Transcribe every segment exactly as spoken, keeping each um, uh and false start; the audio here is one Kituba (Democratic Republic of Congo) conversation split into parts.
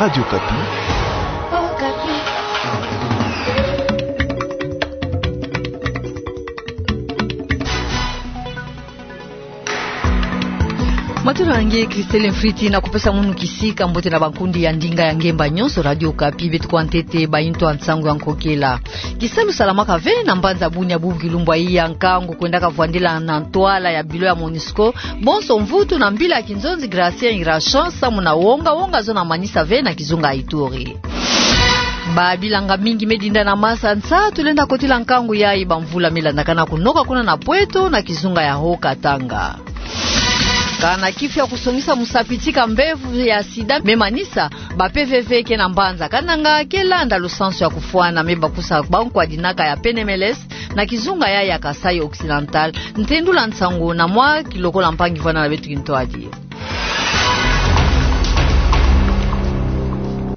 Radio Okapi. Matondo na nge, Christelle Mfriti, na kupesa munu kisika mbote na bankundi ya ndinga ya ngemba nyonso Radio Okapi, beto kwa ntete bainto ya nsangu ya nkokela. Kisalu salamaka ve na mbanza Bunia bubu kilumbu ya nkangu kwendaka vwandila na ntwala ya bilo ya MONUSCO bonso mvutu na mbila ya kinzonzi Gracien Irachant samu na wonga-wonga zo na manisa ve na kizunga ya Ituri. Babilanga mingi me dinda na masa nsa tulenda kotila nkangu yayi bamvula me landakana kunoka kuna na Pweto na kizunga ya Haut-Katanga. Kana kifu ya kusongisa musapi tika mbevo ya sida me manisa, ba P V V ke na mbanza Kananga ke landa lusansu ya kufwana me bakusa bankwadinaka ya P N M L S na kizunga yayi ya Kasaï Occidental. Ntendula nsangu na mwa kilokola mpangi vwanda na beto kintwadi.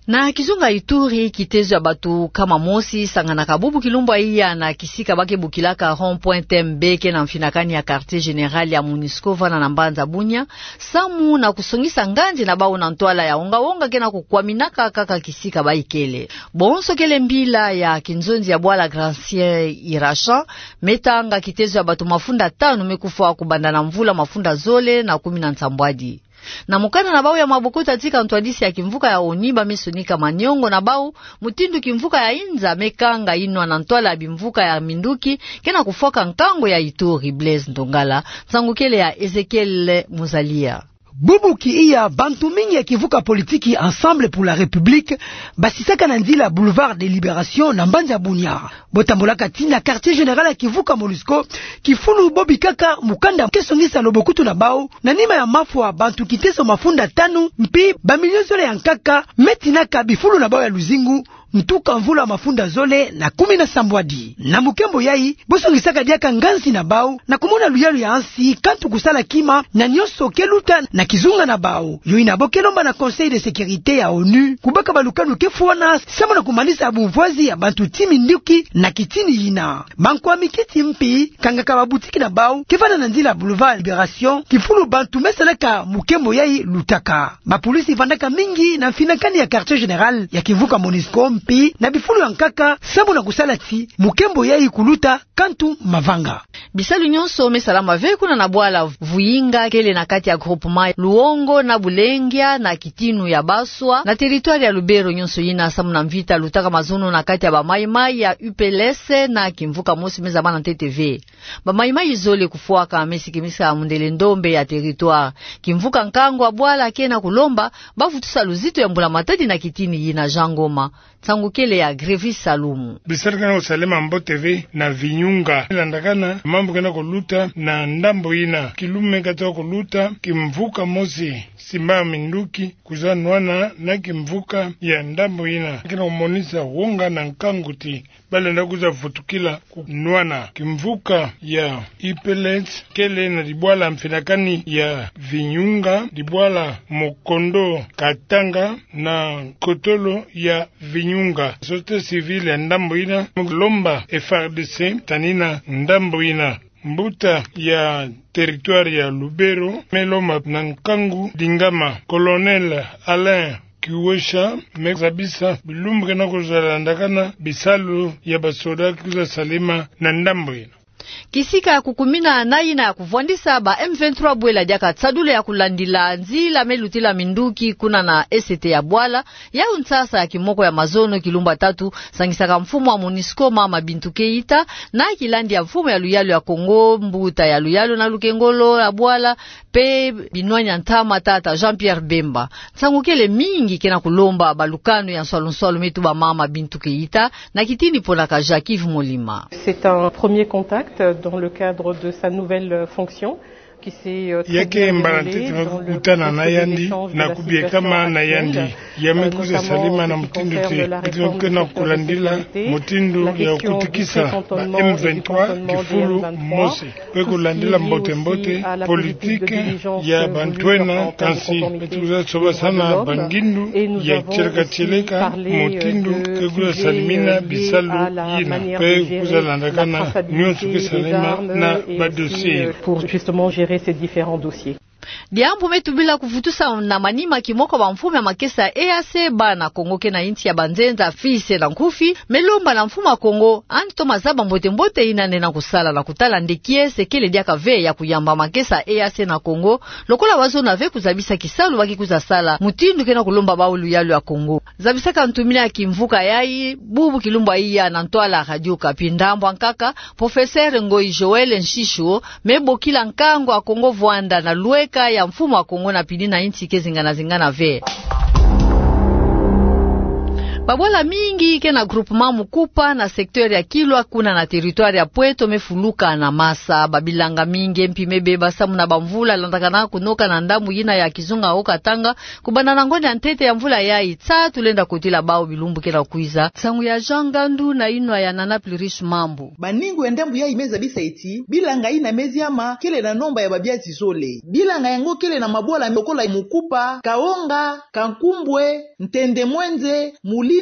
Na kizunga Ituri, kitezo ya bato nkama mosi sanganaka bubu kilumbu ya iya na kisika ba ke bokilaka rond-point Tembe ke na mfinakani ya quartier général ya MONUSCO vana na mbanza Bunia, samu na kusongisa nganzi na bawu na ntwala ya wonga-wonga ke na kukwaminaka kaka kisika ba ikele. Bonso kele mbila ya kinzonzi ya bwala Gracien Irachant, me tanga kitezo ya bato mafunda tanu me kufwa kubanda na mvula mafunda zole na kumi na nsambwadi. Na mukanda na bawu ya maboko ta tika ntwadisi ya kimvuka ya ONU ba me sonika maniongo na bawu mutindu kimvuka ya inza me kanga inwa na ntwala ya bimvuka ya minduki ke na kufwaka nkangu ya Ituri. Blaise Ntongala, nsangu kele ya Ezekiel Muzalia. Bubu ki iya, bantu mingi ya kivuka politiki Ensemble pour la République basisaka na nzila Boulevard de Libération na mbanza Bunia. Bo tambolaka tii na quartier général ya kivuka MONUSCO, kifulu bo bikaka mukanda ke songisa lobokutu na bawu na nima ya mafwa bantu kitezo mafunda tanu mpi bamilio zole ya nkaka me tinaka bifulu na bawu ya luzingu ntuka mvula mafunda zole na kumi na sambwadi. Na mukembo yayi, bo songisaka diaka nganzi na bawu na kumona luyalu ya nsi kantu kusala kima na nyonso ke luta na kizunga na bawu. Yo yina bo ke lomba na Conseil de sécurité ya ONU kubaka balukanu ke fwana samu na kumanisa bumvwazi ya bantu ti minduki na kitini yina. Bankwami kiti mpi kangaka babutiki na bawu ke vanda na nzila Boulevard Libération, kifulu bantu me salaka mukembo yayi lutaka. Bapolisi vandaka mingi na mfinakani ya quartier général ya kivuka MONUSCO mpi na bifulu ya nkaka samu na kusala ti mukembo yayi kuluta kantu mavanga. Bisalu nyonso me salama ve kuna na bwala Vuyinga kele na kati ya groupement Luongo na Bulengia na kitinu ya Baswa na territoire ya Lubero, nyonso yina samu na mvita lutaka mazono na kati ya ba Maï-Maï ya U P L S na kimvuka mosi me zabana ntete ve. Ba Maï-Maï zole kufwaka me sikimisa mundele ndombe ya territoire. Kimvuka nkangu ya bwala ke na kulomba bavutusa luzito ya mbula-matadi na kitini yina. Jean Ngoma, nsangu kele ya Grevis Salumu. Bisalu ke na kusalema mbote ve na Vinyunga. Landakana mambu ke na kuluta na ndambo yina, kilume kata kuluta, kimvuka mosi simba minduki kwiza nwana na kimvuka ya ndambo yina. Ke na kumonisa wonga na nkangu ti balenda kwiza vutukila ku nwana. Kimvuka ya U P L S kele na dibwala mfinakani ya Vinyunga, dibwala Mokondo Katanga na kotolo ya Vinyunga. Société civile ya ndambo yina me lomba F A R D C tanina ndambo yina. Mbuta ya territoire ya Lubero me lomba na nkangu dingama. Colonel Alain Kiwesha me zabisa bilumbu ke na kwiza landakana bisalu ya basoda ke kwiza salema na ndambo yina. Kisika ya kukumina na yina ya kuvwandisa ba M vingt-trois bwela diaka tsadulu ya kulandila nzila me lutila minduki kuna na esete ya bwala, yawu nsasa ya kimoko ya mazono kilumbu ya tatu, sangisaka mfumu wa MONUSCO Mama Bintou Keïta na kilandi ya mfumu ya luyalu ya Congo, mbuta ya luyalu na lukengolo ya bwala, mpe binwani ya ntama tata Jean-Pierre Bemba. Nsangu kele mingi ke na kulomba balukanu ya nswalu-nswalu me tuba Mama Bintou Keïta na kitini ponaka Jacques-Yves Molima. C'est un premier contact dans le cadre de sa nouvelle fonction qui s'est, euh, très bien déroulée dans le processus de l'échange de la situation actuelle. Ya ke mbala ntete me kukutana na yandi na kubiekama na yandi. Ya me kwiza salima na mutindu ti, ke na kulandila mutindu ya kukutikisa ba M vingt-trois kifulu mosi, mpe kulandila mbote-mbote politike ya bantu ena, kansi beto kwiza sobasana ba ngindu ya tieleka-tieleka mutindu ke kwiza salimina bisalu yina, mpe kwiza landakana nyonso ke salema na ba dossier. Pour justement gérer ces différents dossiers. Diambu me tubila kuvutusa na manima kimoko bamfumu ya makesa ya E A C, bana Kongo ke na insi ya banzenza, fils na nkufi, me lomba na mfumu a Kongo, andi toma zaba mbote-mbote ina lenda kusala na kutala nde kiese kele diaka ve ya kuyamba makesa ya E A C na Kongo, lokola wazona ve kuzabisa kisalu ba ke kwiza sala, mutindu ke na kulomba bau luyalu ya Kongo. Zabisaka ntumina ya kimvuka yayi, bubu kilumbu ya iya na ntwala Radio Okapi, ndambu ya nkaka, Professeur Ngoyi Joël Nshisho, me bokila nkangu a Kongo vwanda na lweka ya mfumu a Kongo na pili na insi ke zingana-zingana ve. Babwala mingi ke na groupement Mukupa na secteur ya Kilwa kuna na territoire ya Pweto me fuluka na masa. Babilanga mingi mpi me beba samu na bamvula landakana kunoka na ndambu yina ya kizunga Haut-Katanga, kubanda na ngonda ya ntete ya mvula yayi, tsatu lenda kotila bau bilumbu ke na kwiza. Nsangu ya Jean Ngandu na inwa ya Nana Pluriche Mambu. Baningu ya ndambu yayi me zabisa ti bilanga yina me ziama kele na nomba ya babiazi zole. Bilanga yango kele na mabwala lokola Mukupa, Kaonga, Kankumbwe, Ntende Mwenze, Mulinde,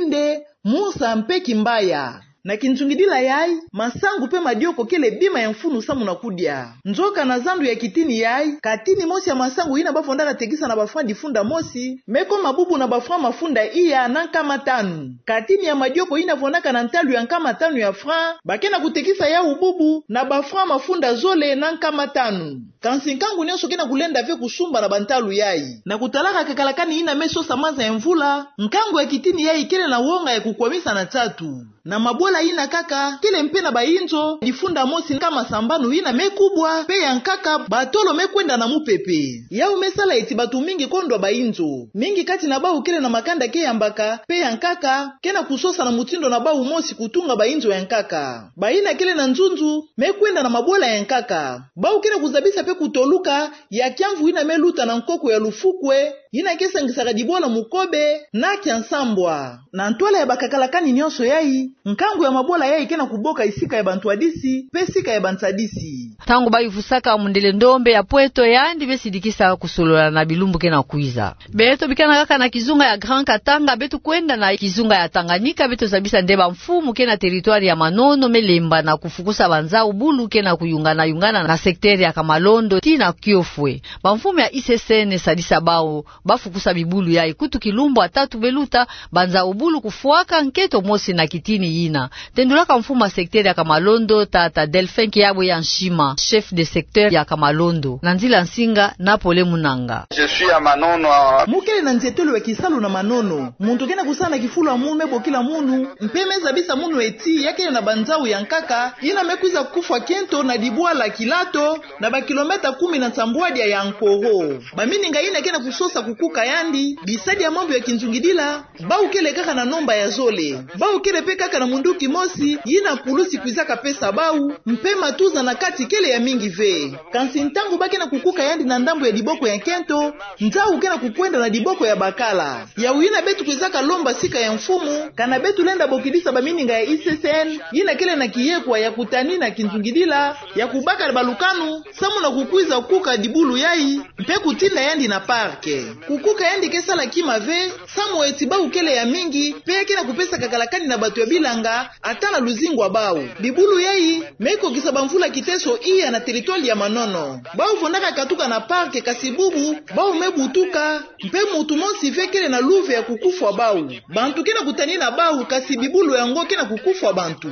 Munsa mpe Kimbaya. Na kinzungidila yayi, masangu mpe madioko kele bima ya mfunu samu na kudia. Nzoka na zandu ya kitini yayi, katini mosi ya masangu yina ba fondaka tekisa na ba francs difunda mosi, me koma bubu na ba francs mafunda iya na nkama tanu. Katini ya madioko yina fondaka na ntalu ya nkama tanu ya francs, ba ke na kutekisa yawu bubu na ba francs mafunda zole na nkama tanu. Kansi nkangu nyonso ke na kulenda ve kusumba na bantalu yayi. Na kutalaka kakalakani yina me sosa maza ya mvula, nkangu ya kitini yayi kele na wonga ya kukwamisa na tsatu. Na mabwala yina nkaka, kele mpe na bayinzo difunda mosi nkama sambanu yina me kubwa, mpe ya nkaka batolo me kwenda na mupepe. Yawu me sala ti bantu mingi kondwa bayinzo. Mingi kati na bau kele na makanda ke yambaka, mpe ya nkaka ke na kusosa na mutindu na bau mosi kutunga bayinzo ya nkaka. Bayina kele na nzunzu me kwenda na mabwala ya nkaka. Bau ke na kuzabisa mpe kutoluka ya kiamvu yina me luta na nkoko ya Lufukwe, yina ke sangisaka dibwala Mukobe na Kiansambwa. Na ntwala ya bakakalakani nyonso yayi, nkangu ya mabwala yayi ke na kuboka esika ya bantwadisi mpe esika ya bansadisi. Ntangu ba yuvusaka mundele ndombe ya Pweto, yandi me sidikisa kusolola na bilumbu ke na kwiza. Beto bikana kaka na kizunga ya Grand Katanga, beto kwenda na kizunga ya Tanganyika, beto zabisa nde bamfumu ke na territoire ya Manono me lemba na kufukusa banzau bulu ke na kuyungana-yungana na secteur ya Kamalondo tii na Kiofwe. Bamfumu ya I C C N sadisa bau ba fukusa bibulu yayi. Kutu kilumbu ya tatu me luta, banzau bulu kufwaka nkento mosi na kitini yina. Tendulaka mfumu ya secteur ya Kamalondo, tata Delphin Kiabwe ya Nshima, chef de secteur ya Kamalondo, na nzila nsinga na Pole Munanga. Je suis à Manono. Mu kele na nzietolo ya kisalu na Manono. Muntu ke na kusala na kifulu ya munu me bokila munu, mpe me zabisa munu ti ya kele na banzau ya nkaka yina me kwiza kufwa nkento na dibwala Kilato, na ba kilomètre kumi na nsambwadia ya Nkoro. Bamininga yina ke na kusosa kukuka yandi, bisadi ya mambu ya kinzungidila, bau kele kaka na nomba ya zole. Bau kele mpe kaka na munduki mosi yina pulusi kwizaka pesa bau, mpe matuza na kati kele ya mingi ve. Kansi ntangu ba ke na kukuka yandi na ndambu ya diboko ya nkento, nzau ke na kukwenda na diboko ya bakala. Yawu yina beto kwizaka lomba sika ya mfumu, kana beto lenda bokidisa bamininga ya I C C N yina kele na kiyekwa ya kutanina kinzungidila, ya kubaka balukanu, samu na kukwiza kukuka dibulu yayi, mpe kutinda yandi na parc. Kukuka yandi ke sala kima ve, samu ti bau kele ya mingi, mpe ke na kupesa kakalakani na bantu ya bilanga, ata na luzingu ya bau. Bibulu yayi me kokisa bamvula kiteso iya na territoire ya Manono. Bau fondaka katuka na parc, kasi bubu bau me butuka, mpe muntu mosi ve kele na luve ya kukufwa bau. Bantu ke na kutanina bau, kasi bibulu yango ke na kukufwa bantu.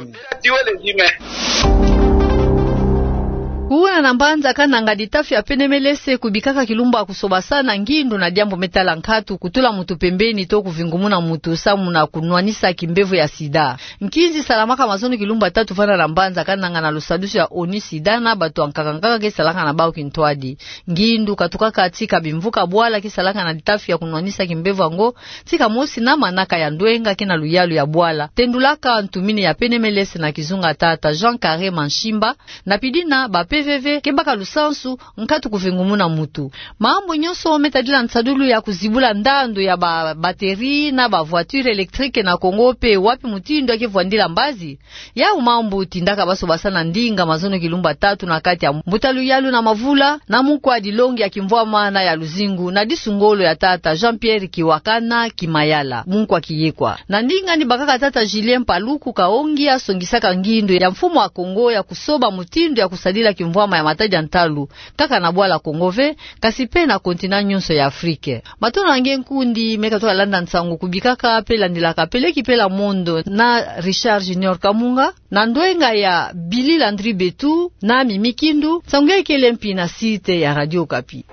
Kuna na mbanza Kananga, ditafi ya Penemelese kubikaka kilumbu ya kusobasana ngindu na diambu me tala nkatu, kutula muntu pembeni to kuvingumuna muntu samu na kunwanisa kimbevo ya sida. Nkinzi salamaka mazono kilumbu ya tatu vana na mbanza Kananga na lusadusu ya ONU-SIDA na bantu ya nkaka-nkaka ke salaka na bau kintwadi. Ngindu katukaka tika bimvuka bwala ke salaka na ditafi ya kunwanisa kimbevo yango, tika mosi na manaka ya ndwenga ke na luyalu ya bwala. Tendulaka ntumini ya Penemelese na kizunga, tata Jean Carré Manshimba, na pidina ba P V V ke baka lusansu nkatu kuvingumuna muntu. Mambu nyonso me tadila nsadulu ya kuzibula ndandu ya ba batterie na ba voiture électrique na Kongo, mpe wapi mutindu ya ke vwandila mbazi? Yau mambu tindaka basobasana ndinga mazono kilumbu ya tatu na kati ya mbuta luyalu na mavula, na munkwa dilongi ya kimvwama na ya luzingu, na disu ngolo ya tata Jean-Pierre Kiwakana Kimayala, munkwa kiyekwa. Na ndinga ni bakaka tata Julien Paluku Kaongi, asongisaka ngindu ya mfumu wa Kongo ya kusoba mutindu ya kusadila kim- mbwama ya matadi ya ntalu, kaka na bwala Kongo ve, kasi pe na continent nyonso ya Afrique. Matondo na nge nkundi me katoka landa nsangu kubikaka pe landilaka pe leki pe la mondo na Richard Junior Kamunga, na ndwenga ya Billy Landry Betu na Mimi Kindu. Nsangu ya ikele mpi na site ya Radio Okapi.